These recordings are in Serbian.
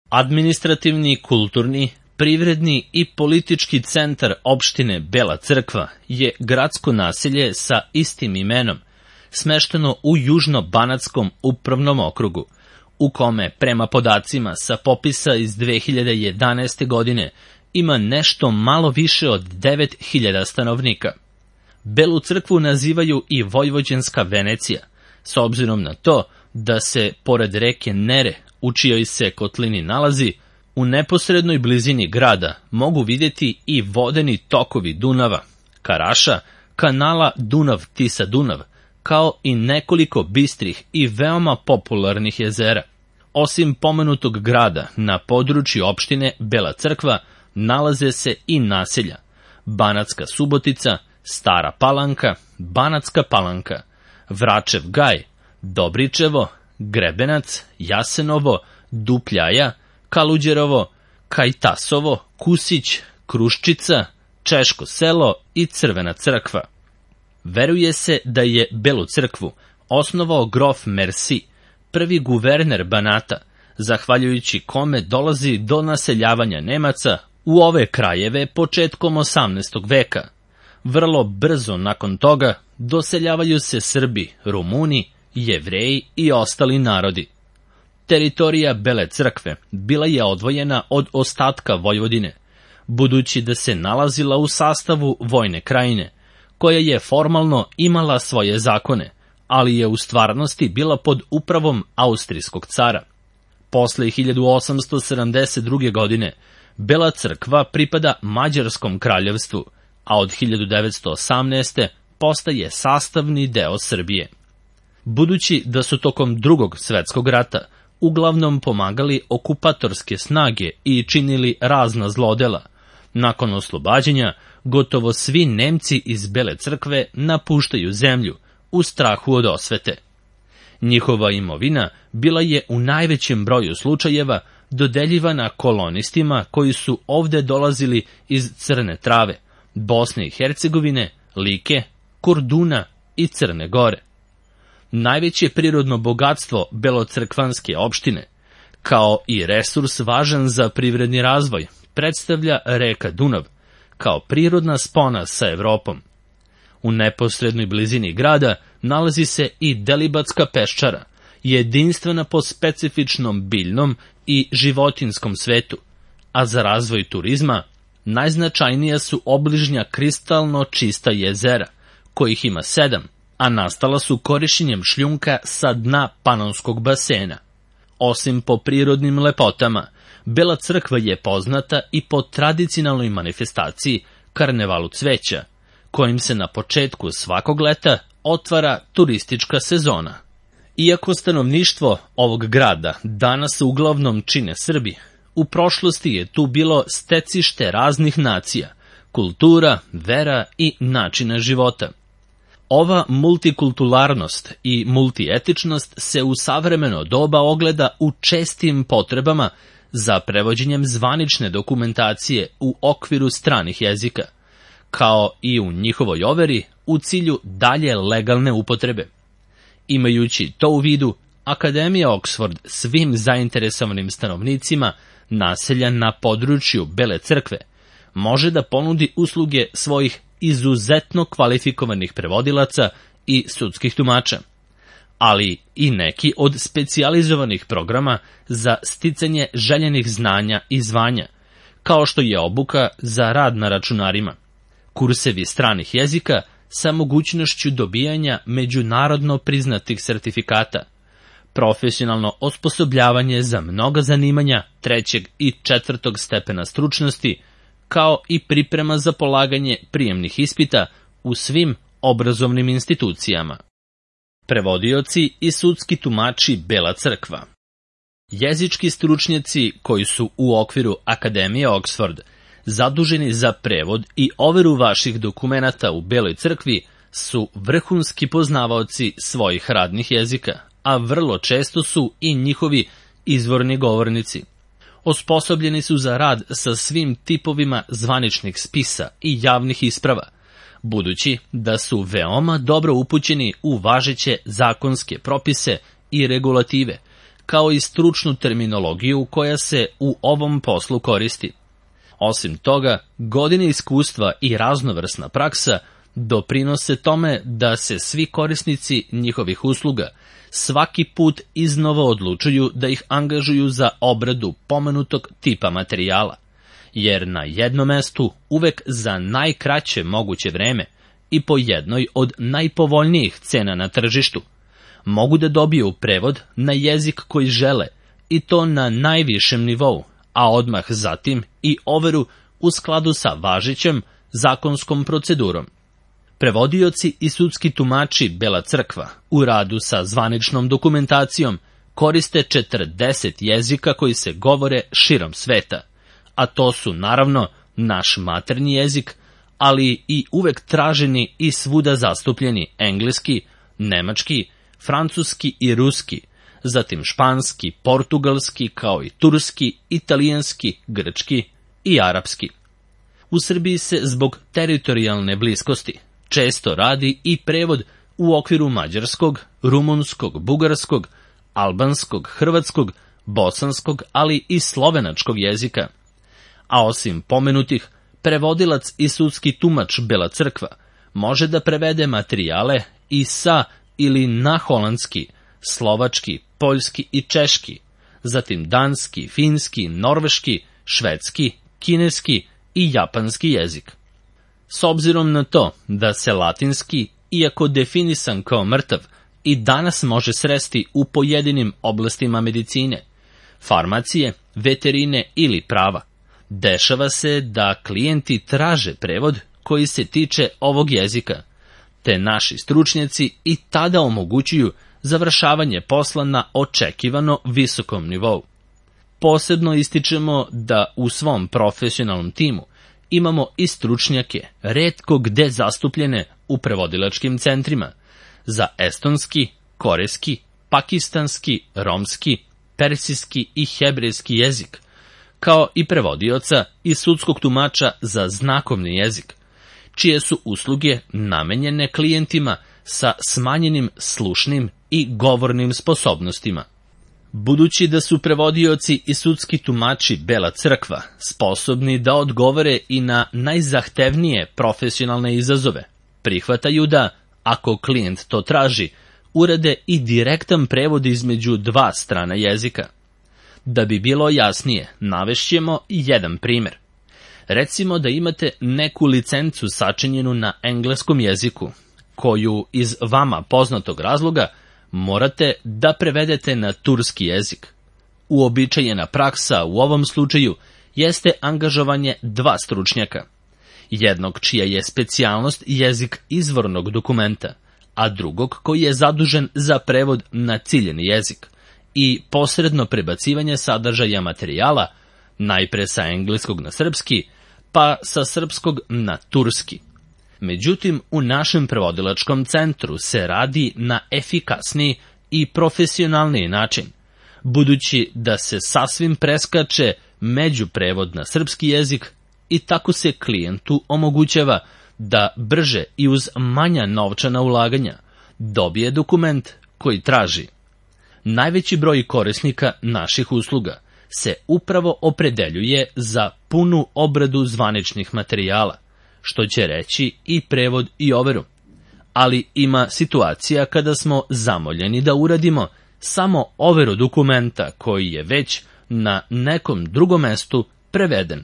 Administrativni, kulturni, privredni i politički centar opštine Bela Crkva je gradsko naselje sa istim imenom, smešteno u Južno-Banatskom upravnom okrugu, u kome, prema podacima sa popisa iz 2011. godine, ima nešto malo više od 9.000 stanovnika. Belu Crkvu nazivaju i Vojvođanska Venecija, s obzirom na to da se, pored reke Nere, u čijoj se kotlini nalazi, u neposrednoj blizini grada mogu vidjeti i vodeni tokovi Dunava, Karaša, kanala Dunav-Tisa-Dunav, kao i nekoliko bistrih i veoma popularnih jezera. Osim pomenutog grada, na području opštine Bela Crkva nalaze se i naselja Banatska Subotica, Stara Palanka, Banatska Palanka, Vračev Gaj, Dobričevo, Grebenac, Jasenovo, Dupljaja, Kaluđerovo, Kajtasovo, Kusić, Kruščica, Češko selo i Crvena Crkva. Veruje se da je Belu Crkvu osnovao grof Mersi, prvi guverner Banata, zahvaljujući kome dolazi do naseljavanja Nemaca u ove krajeve početkom 18. veka. Vrlo brzo nakon toga doseljavaju se Srbi, Rumuni, Jevreji i ostali narodi. Teritorija Bele Crkve bila je odvojena od ostatka Vojvodine, budući da se nalazila u sastavu vojne krajine, koja je formalno imala svoje zakone, ali je u stvarnosti bila pod upravom austrijskog cara. Posle 1872. godine Bela Crkva pripada Mađarskom kraljevstvu, a od 1918. postaje sastavni deo Srbije. Budući da su tokom Drugog svetskog rata uglavnom pomagali okupatorske snage i činili razna zlodela, nakon oslobađanja gotovo svi Nemci iz Bele Crkve napuštaju zemlju u strahu od osvete. Njihova imovina bila je u najvećem broju slučajeva dodeljivana kolonistima koji su ovde dolazili iz Crne Trave, Bosne i Hercegovine, Like, Korduna i Crne Gore. Najveće prirodno bogatstvo belocrkvanske opštine, kao i resurs važan za privredni razvoj, predstavlja reka Dunav, kao prirodna spona sa Evropom. U neposrednoj blizini grada nalazi se i Delibatska peščara, jedinstvena po specifičnom biljnom i životinjskom svetu, a za razvoj turizma najznačajnija su obližnja kristalno čista jezera, kojih ima 7, a nastala su korišćenjem šljunka sa dna Panonskog basena. Osim po prirodnim lepotama, Bela Crkva je poznata i po tradicionalnoj manifestaciji Karnevalu cveća, kojim se na početku svakog leta otvara turistička sezona. Iako stanovništvo ovog grada danas uglavnom čine Srbi, u prošlosti je tu bilo stecište raznih nacija, kultura, vera i načina života. Ova multikulturalnost i multietičnost se u savremeno doba ogleda u čestim potrebama za prevođenjem zvanične dokumentacije u okviru stranih jezika, kao i u njihovoj overi u cilju dalje legalne upotrebe. Imajući to u vidu, Akademija Oxford svim zainteresovanim stanovnicima naselja na području Bele Crkve može da ponudi usluge svojih izuzetno kvalifikovanih prevodilaca i sudskih tumača, ali i neki od specijalizovanih programa za sticanje željenih znanja i zvanja, kao što je obuka za rad na računarima, kursevi stranih jezika sa mogućnošću dobijanja međunarodno priznatih sertifikata, profesionalno osposobljavanje za mnoga zanimanja 3. i 4. stepena stručnosti, kao i priprema za polaganje prijemnih ispita u svim obrazovnim institucijama. Prevodioci i sudski tumači Bela Crkva. Jezički stručnjaci koji su u okviru Akademije Oxford zaduženi za prevod i overu vaših dokumenata u Beloj Crkvi su vrhunski poznavaoci svojih radnih jezika, a vrlo često su i njihovi izvorni govornici. Osposobljeni su za rad sa svim tipovima zvaničnih spisa i javnih isprava, budući da su veoma dobro upućeni u važeće zakonske propise i regulative, kao i stručnu terminologiju koja se u ovom poslu koristi. Osim toga, godine iskustva i raznovrsna praksa doprinose tome da se svi korisnici njihovih usluga svaki put iznova odlučuju da ih angažuju za obradu pomenutog tipa materijala, jer na jednom mestu uvek za najkraće moguće vreme i po jednoj od najpovoljnijih cena na tržištu mogu da dobiju prevod na jezik koji žele, i to na najvišem nivou, a odmah zatim i overu u skladu sa važećom zakonskom procedurom. Prevodioci i sudski tumači Bela crkva u radu sa zvaničnom dokumentacijom koriste 40 jezika koji se govore širom sveta, a to su naravno naš maternji jezik, ali i uvek traženi i svuda zastupljeni engleski, nemački, francuski i ruski, zatim španski, portugalski, kao i turski, italijanski, grčki i arapski. U Srbiji se zbog teritorijalne bliskosti često radi i prevod u okviru mađarskog, rumunskog, bugarskog, albanskog, hrvatskog, bosanskog, ali i slovenačkog jezika. A osim pomenutih, prevodilac i sudski tumač Bela crkva može da prevede materijale i sa ili na holandski, slovački, poljski i češki, zatim danski, finski, norveški, švedski, kineski i japanski jezik. S obzirom na to da se latinski, iako definisan kao mrtav, i danas može sresti u pojedinim oblastima medicine, farmacije, veterine ili prava, dešava se da klijenti traže prevod koji se tiče ovog jezika, te naši stručnjaci i tada omogućuju završavanje posla na očekivano visokom nivou. Posebno ističemo da u svom profesionalnom timu imamo i stručnjake, retko gde zastupljene u prevodilačkim centrima, za estonski, korejski, pakistanski, romski, persijski i hebrejski jezik, kao i prevodioca i sudskog tumača za znakovni jezik, čije su usluge namenjene klijentima sa smanjenim slušnim i govornim sposobnostima. Budući da su prevodioci i sudski tumači Bela crkva sposobni da odgovore i na najzahtevnije profesionalne izazove, prihvataju da, ako klijent to traži, urade i direktan prevod između dva strana jezika. Da bi bilo jasnije, navešćemo jedan primer. Recimo da imate neku licencu sačinjenu na engleskom jeziku, koju iz vama poznatog razloga morate da prevedete na turski jezik. Uobičajena praksa u ovom slučaju jeste angažovanje dva stručnjaka, jednog čija je specijalnost jezik izvornog dokumenta, a drugog koji je zadužen za prevod na ciljeni jezik i posredno prebacivanje sadržaja materijala, najpre sa engleskog na srpski, pa sa srpskog na turski. Međutim, u našem prevodilačkom centru se radi na efikasniji i profesionalniji način, budući da se sasvim preskače međuprevod na srpski jezik i tako se klijentu omogućava da brže i uz manja novčana ulaganja dobije dokument koji traži. Najveći broj korisnika naših usluga se upravo opredeljuje za punu obradu zvaničnih materijala, što će reći i prevod i overu. Ali ima situacija kada smo zamoljeni da uradimo samo overu dokumenta koji je već na nekom drugom mestu preveden.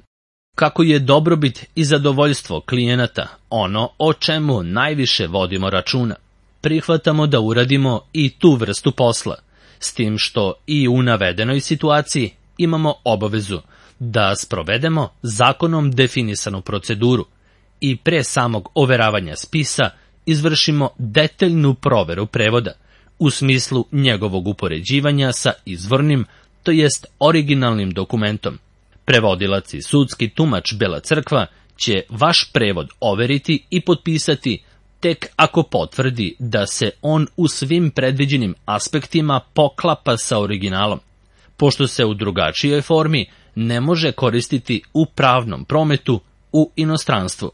Kako je dobrobit i zadovoljstvo klijenata ono o čemu najviše vodimo računa, prihvatamo da uradimo i tu vrstu posla, s tim što i u navedenoj situaciji imamo obavezu da sprovedemo zakonom definisanu proceduru i pre samog overavanja spisa izvršimo detaljnu proveru prevoda u smislu njegovog upoređivanja sa izvornim, to jest originalnim dokumentom. Prevodilac i sudski tumač Bela crkva će vaš prevod overiti i potpisati tek ako potvrdi da se on u svim predviđenim aspektima poklapa sa originalom, pošto se u drugačijoj formi ne može koristiti u pravnom prometu u inostranstvu.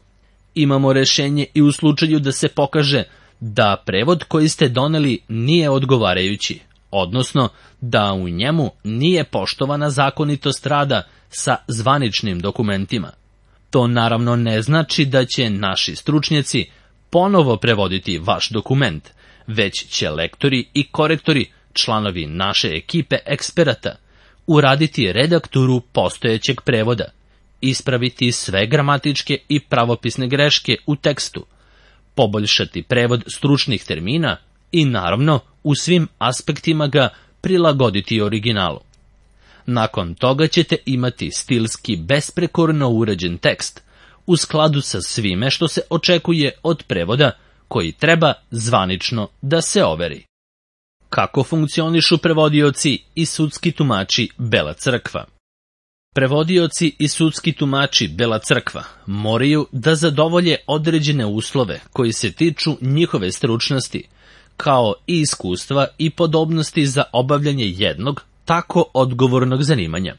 Imamo rešenje i u slučaju da se pokaže da prevod koji ste doneli nije odgovarajući, odnosno da u njemu nije poštovana zakonitost rada sa zvaničnim dokumentima. To naravno ne znači da će naši stručnjaci ponovo prevoditi vaš dokument, već će lektori i korektori, članovi naše ekipe eksperata, uraditi redakturu postojećeg prevoda, ispraviti sve gramatičke i pravopisne greške u tekstu, poboljšati prevod stručnih termina i naravno u svim aspektima ga prilagoditi originalu. Nakon toga ćete imati stilski besprekorno uređen tekst u skladu sa svime što se očekuje od prevoda koji treba zvanično da se overi. Kako funkcionišu prevodioci i sudski tumači Bela crkva? Prevodioci i sudski tumači Bela crkva moraju da zadovolje određene uslove koji se tiču njihove stručnosti, kao i iskustva i podobnosti za obavljanje jednog tako odgovornog zanimanja.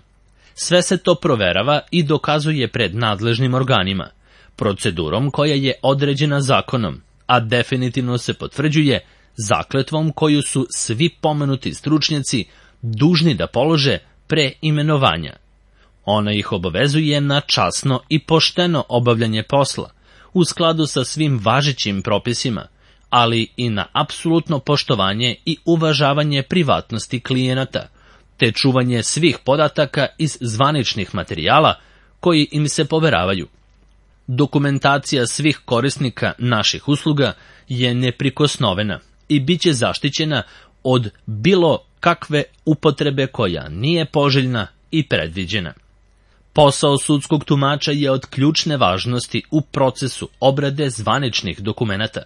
Sve se to proverava i dokazuje pred nadležnim organima, procedurom koja je određena zakonom, a definitivno se potvrđuje zakletvom koju su svi pomenuti stručnjaci dužni da polože pre imenovanja. Ona ih obavezuje na časno i pošteno obavljanje posla, u skladu sa svim važećim propisima, ali i na apsolutno poštovanje i uvažavanje privatnosti klijenata, te čuvanje svih podataka iz zvaničnih materijala koji im se poveravaju. Dokumentacija svih korisnika naših usluga je neprikosnovena i bit će zaštićena od bilo kakve upotrebe koja nije poželjna i predviđena. Posao sudskog tumača je od ključne važnosti u procesu obrade zvaničnih dokumenata,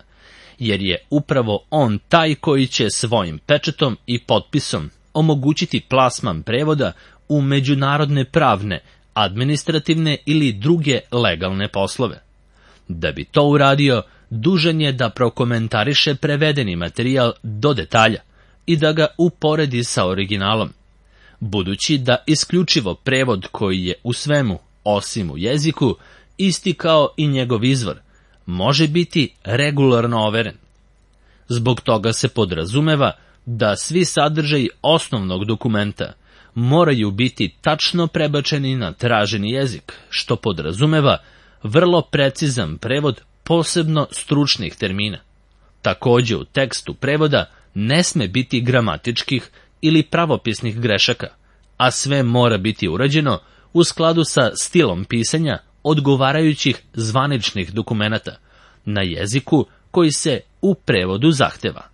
jer je upravo on taj koji će svojim pečatom i potpisom omogućiti plasman prevoda u međunarodne pravne, administrativne ili druge legalne poslove. Da bi to uradio, dužan je da prokomentariše prevedeni materijal do detalja i da ga uporedi sa originalom. Budući da isključivo prevod koji je u svemu, osim u jeziku, isti kao i njegov izvor, može biti regularno overen. Zbog toga se podrazumeva da svi sadržaji osnovnog dokumenta moraju biti tačno prebačeni na traženi jezik, što podrazumeva vrlo precizan prevod posebno stručnih termina. Takođe u tekstu prevoda ne sme biti gramatičkih ili pravopisnih grešaka, a sve mora biti urađeno u skladu sa stilom pisanja odgovarajućih zvaničnih dokumenata na jeziku koji se u prevodu zahteva.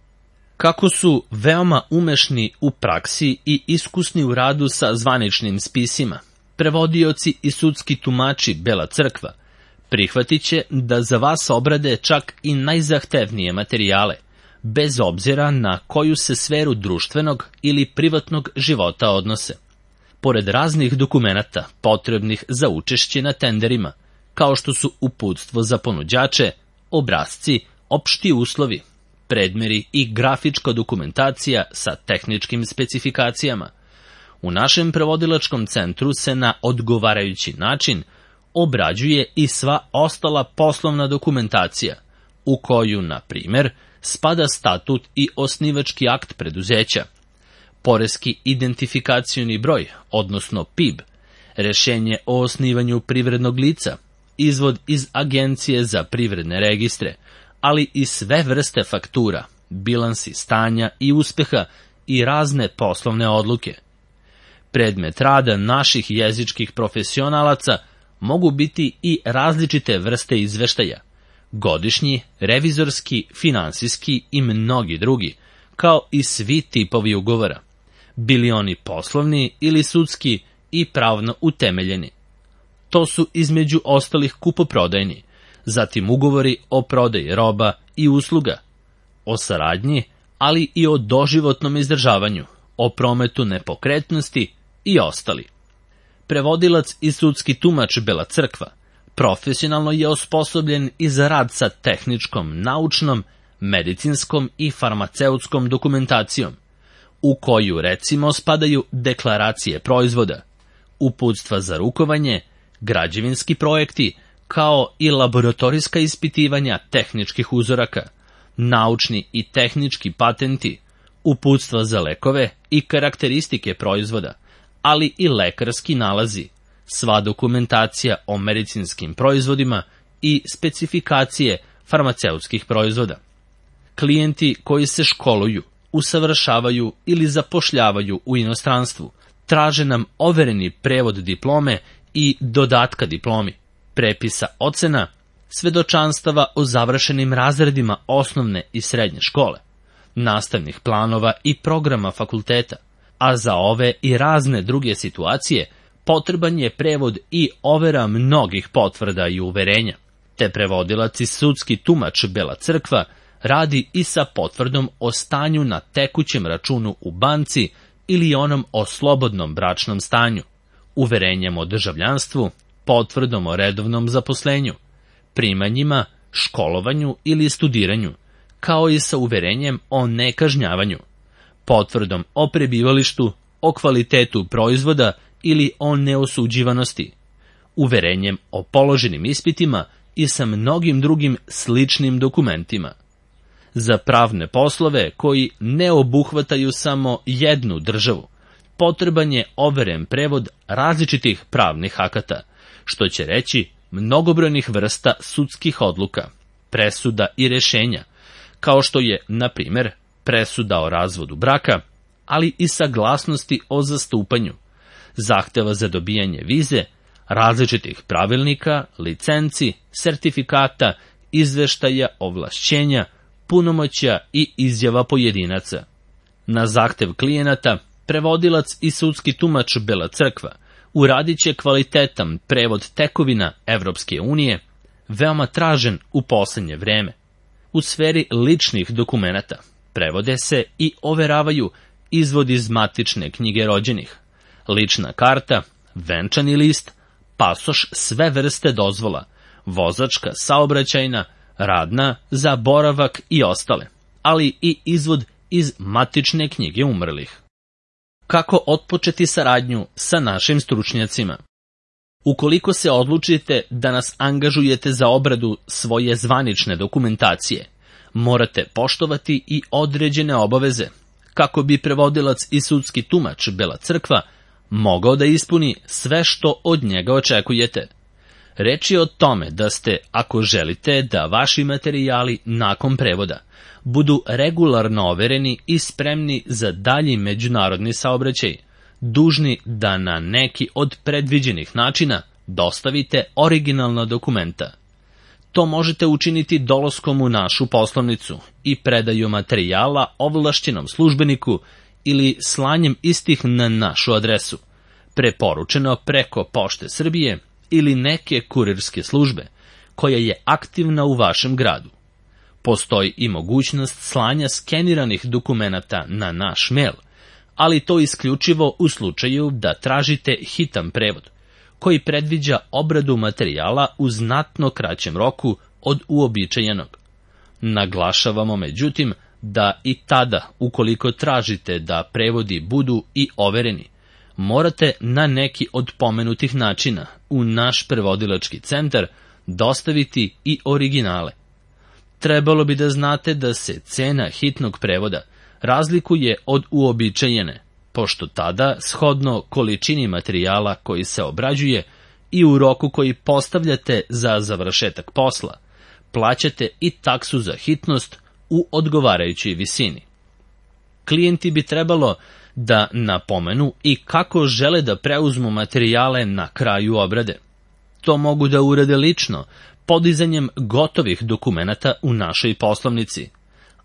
Kako su veoma umešni u praksi i iskusni u radu sa zvaničnim spisima, prevodioci i sudski tumači Bela crkva prihvatit će da za vas obrade čak i najzahtevnije materijale, bez obzira na koju se sferu društvenog ili privatnog života odnose. Pored raznih dokumenata potrebnih za učešće na tenderima, kao što su uputstvo za ponuđače, obrasci, opšti uslovi, predmeri i grafička dokumentacija sa tehničkim specifikacijama, u našem prevodilačkom centru se na odgovarajući način obrađuje i sva ostala poslovna dokumentacija, u koju, na primer, spada statut i osnivački akt preduzeća, poreski identifikacioni broj, odnosno PIB, rešenje o osnivanju privrednog lica, izvod iz Agencije za privredne registre, ali i sve vrste faktura, bilansi stanja i uspeha i razne poslovne odluke. Predmet rada naših jezičkih profesionalaca mogu biti i različite vrste izveštaja, godišnji, revizorski, finansijski i mnogi drugi, kao i svi tipovi ugovora, bili oni poslovni ili sudski i pravno utemeljeni. To su između ostalih kupoprodajni, zatim ugovori o prodaji roba i usluga, o saradnji, ali i o doživotnom izdržavanju, o prometu nepokretnosti i ostali. Prevodilac i sudski tumač Bela crkva profesionalno je osposobljen i za rad sa tehničkom, naučnom, medicinskom i farmaceutskom dokumentacijom, u koju recimo spadaju deklaracije proizvoda, uputstva za rukovanje, građevinski projekti, kao i laboratorijska ispitivanja tehničkih uzoraka, naučni i tehnički patenti, uputstva za lekove i karakteristike proizvoda, ali i lekarski nalazi, sva dokumentacija o medicinskim proizvodima i specifikacije farmaceutskih proizvoda. Klijenti koji se školuju, usavršavaju ili zapošljavaju u inostranstvu traže nam overeni prevod diplome i dodatka diplomi, prepisa ocena, svedočanstava o završenim razredima osnovne i srednje škole, nastavnih planova i programa fakulteta, a za ove i razne druge situacije potreban je prevod i overa mnogih potvrda i uverenja, te prevodilac i sudski tumač Bela crkva radi i sa potvrdom o stanju na tekućem računu u banci ili onom o slobodnom bračnom stanju, uverenjem o državljanstvu, potvrdom o redovnom zaposlenju, primanjima, školovanju ili studiranju, kao i sa uverenjem o nekažnjavanju, potvrdom o prebivalištu, o kvalitetu proizvoda ili o neosuđivanosti, uverenjem o položenim ispitima i sa mnogim drugim sličnim dokumentima. Za pravne poslove koji ne obuhvataju samo jednu državu, potreban je overen prevod različitih pravnih akata, što će reći mnogobrojnih vrsta sudskih odluka, presuda i rešenja, kao što je, na primjer, presuda o razvodu braka, ali i saglasnosti o zastupanju, zahteva za dobijanje vize, različitih pravilnika, licenci, sertifikata, izveštaja, ovlašćenja, punomoćja i izjava pojedinaca. Na zahtev klijenata, prevodilac i sudski tumač Bela crkva uradit će kvalitetan prevod tekovina Evropske unije, veoma tražen u poslednje vreme. U sferi ličnih dokumenata prevode se i overavaju izvod iz matične knjige rođenih, lična karta, venčani list, pasoš sve vrste dozvola, vozačka, saobraćajna, radna, za boravak i ostale, ali i izvod iz matične knjige umrlih. Kako otpočeti saradnju sa našim stručnjacima? Ukoliko se odlučite da nas angažujete za obradu svoje zvanične dokumentacije, morate poštovati i određene obaveze, kako bi prevodilac i sudski tumač Bela crkva mogao da ispuni sve što od njega očekujete. Reč je o tome da ste, ako želite da vaši materijali nakon prevoda budu regularno overeni i spremni za dalji međunarodni saobraćaj, dužni da na neki od predviđenih načina dostavite originalna dokumenta. To možete učiniti dolaskom u našu poslovnicu i predaju materijala ovlašćenom službeniku ili slanjem istih na našu adresu, preporučeno preko Pošte Srbije ili neke kurirske službe, koja je aktivna u vašem gradu. Postoji i mogućnost slanja skeniranih dokumenata na naš mail, ali to isključivo u slučaju da tražite hitan prevod, koji predviđa obradu materijala u znatno kraćem roku od uobičajenog. Naglašavamo, međutim, da i tada, ukoliko tražite da prevodi budu i overeni, morate na neki od pomenutih načina u naš prevodilački centar dostaviti i originale. Trebalo bi da znate da se cena hitnog prevoda razlikuje od uobičajene, pošto tada, shodno količini materijala koji se obrađuje i u roku koji postavljate za završetak posla, plaćate i taksu za hitnost u odgovarajućoj visini. Klijenti bi trebalo da napomenu i kako žele da preuzmu materijale na kraju obrade. To mogu da urade lično, podizanjem gotovih dokumenata u našoj poslovnici,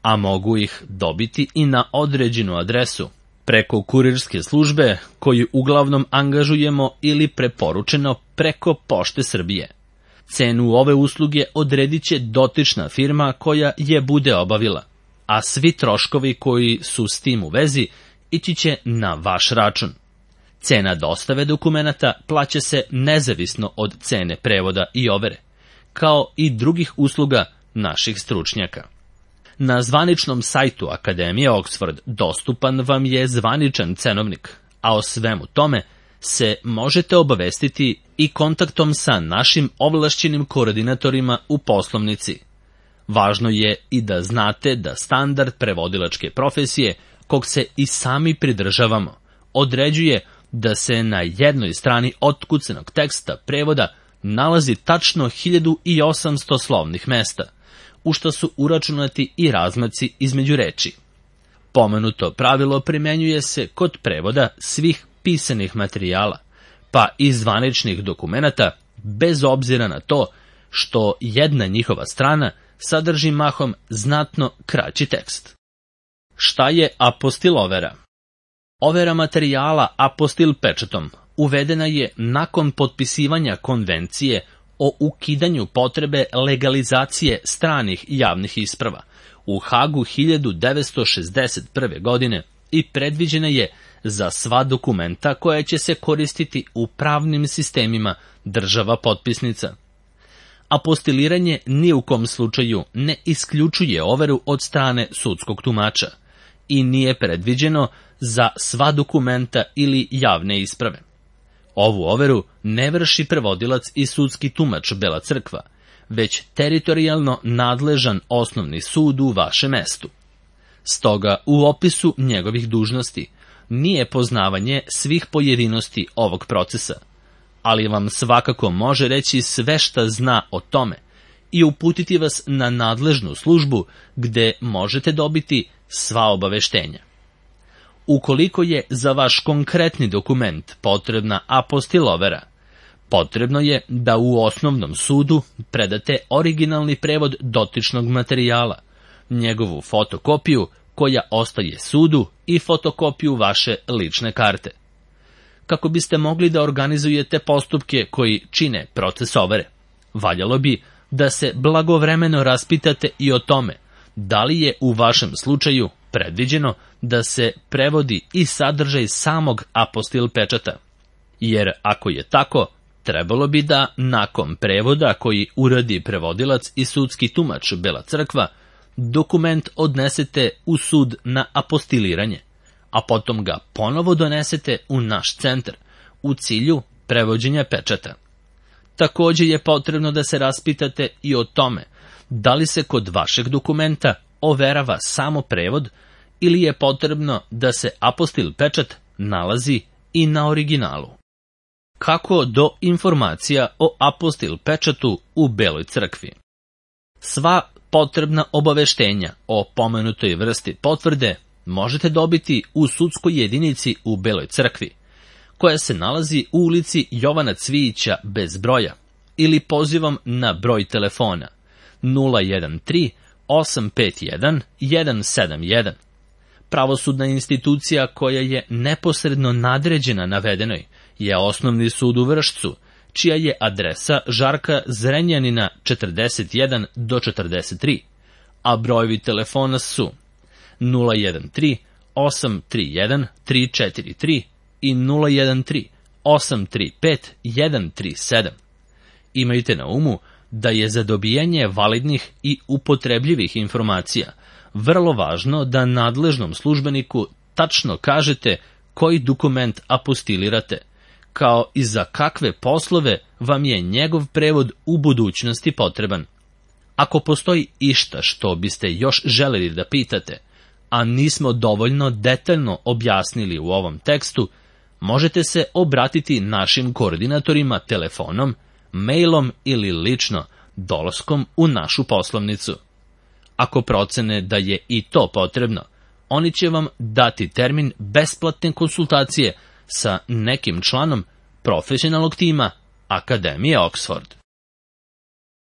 a mogu ih dobiti i na određenu adresu, preko kurirske službe koju uglavnom angažujemo ili preporučeno preko Pošte Srbije. Cenu ove usluge odredit će dotična firma koja je bude obavila, a svi troškovi koji su s tim u vezi ići će na vaš račun. Cena dostave dokumenata plaća se nezavisno od cene prevoda i overe, kao i drugih usluga naših stručnjaka. Na zvaničnom sajtu Akademije Oxford dostupan vam je zvaničan cenovnik, a o svemu tome se možete obavestiti i kontaktom sa našim ovlašćenim koordinatorima u poslovnici. Važno je i da znate da standard prevodilačke profesije kog se i sami pridržavamo, određuje da se na jednoj strani otkucanog teksta prevoda nalazi tačno 1800 slovnih mesta, u što su uračunati i razmaci između reči. Pomenuto pravilo primenjuje se kod prevoda svih pisanih materijala, pa i zvaničnih dokumenata, bez obzira na to što jedna njihova strana sadrži mahom znatno kraći tekst. Šta je apostil overa? Overa materijala apostil pečatom uvedena je nakon potpisivanja konvencije o ukidanju potrebe legalizacije stranih javnih isprava u Hagu 1961. godine i predviđena je za sva dokumenta koja će se koristiti u pravnim sistemima država potpisnica. Apostiliranje ni u kom slučaju ne isključuje overu od strane sudskog tumača i nije predviđeno za sva dokumenta ili javne isprave. Ovu overu ne vrši prevodilac i sudski tumač Bela crkva, već teritorijalno nadležan osnovni sud u vašem mestu. Stoga u opisu njegovih dužnosti nije poznavanje svih pojedinosti ovog procesa, ali vam svakako može reći sve šta zna o tome i uputiti vas na nadležnu službu gde možete dobiti sva obaveštenja. Ukoliko je za vaš konkretni dokument potrebna apostil overa, potrebno je da u osnovnom sudu predate originalni prevod dotičnog materijala, njegovu fotokopiju koja ostaje sudu i fotokopiju vaše lične karte. Kako biste mogli da organizujete postupke koji čine proces overe, valjalo bi da se blagovremeno raspitate i o tome da li je u vašem slučaju predviđeno da se prevodi i sadržaj samog apostil pečata. Jer ako je tako, trebalo bi da nakon prevoda koji uradi prevodilac i sudski tumač Bela crkva, dokument odnesete u sud na apostiliranje, a potom ga ponovo donesete u naš centar u cilju prevođenja pečata. Također je potrebno da se raspitate i o tome da li se kod vašeg dokumenta overava samo prevod ili je potrebno da se apostil pečat nalazi i na originalu. Kako do informacija o apostil pečatu u Beloj crkvi? Sva potrebna obaveštenja o pomenutoj vrsti potvrde možete dobiti u sudskoj jedinici u Beloj crkvi, koja se nalazi u ulici Jovana Cvijića bez broja, ili pozivom na broj telefona 013 851 171. Pravosudna institucija koja je neposredno nadređena navedenoj je Osnovni sud u Vršcu, čija je adresa Žarka Zrenjanina 41 do 43, a brojevi telefona su 013 831 343 i 013 835 137. Imajte na umu da je za dobijanje validnih i upotrebljivih informacija vrlo važno da nadležnom službeniku tačno kažete koji dokument apostilirate, kao i za kakve poslove vam je njegov prevod u budućnosti potreban. Ako postoji išta što biste još želeli da pitate, a nismo dovoljno detaljno objasnili u ovom tekstu, možete se obratiti našim koordinatorima telefonom, mailom ili lično dolaskom u našu poslovnicu. Ako procene da je i to potrebno, oni će vam dati termin besplatne konsultacije sa nekim članom profesionalnog tima Akademije Oxford.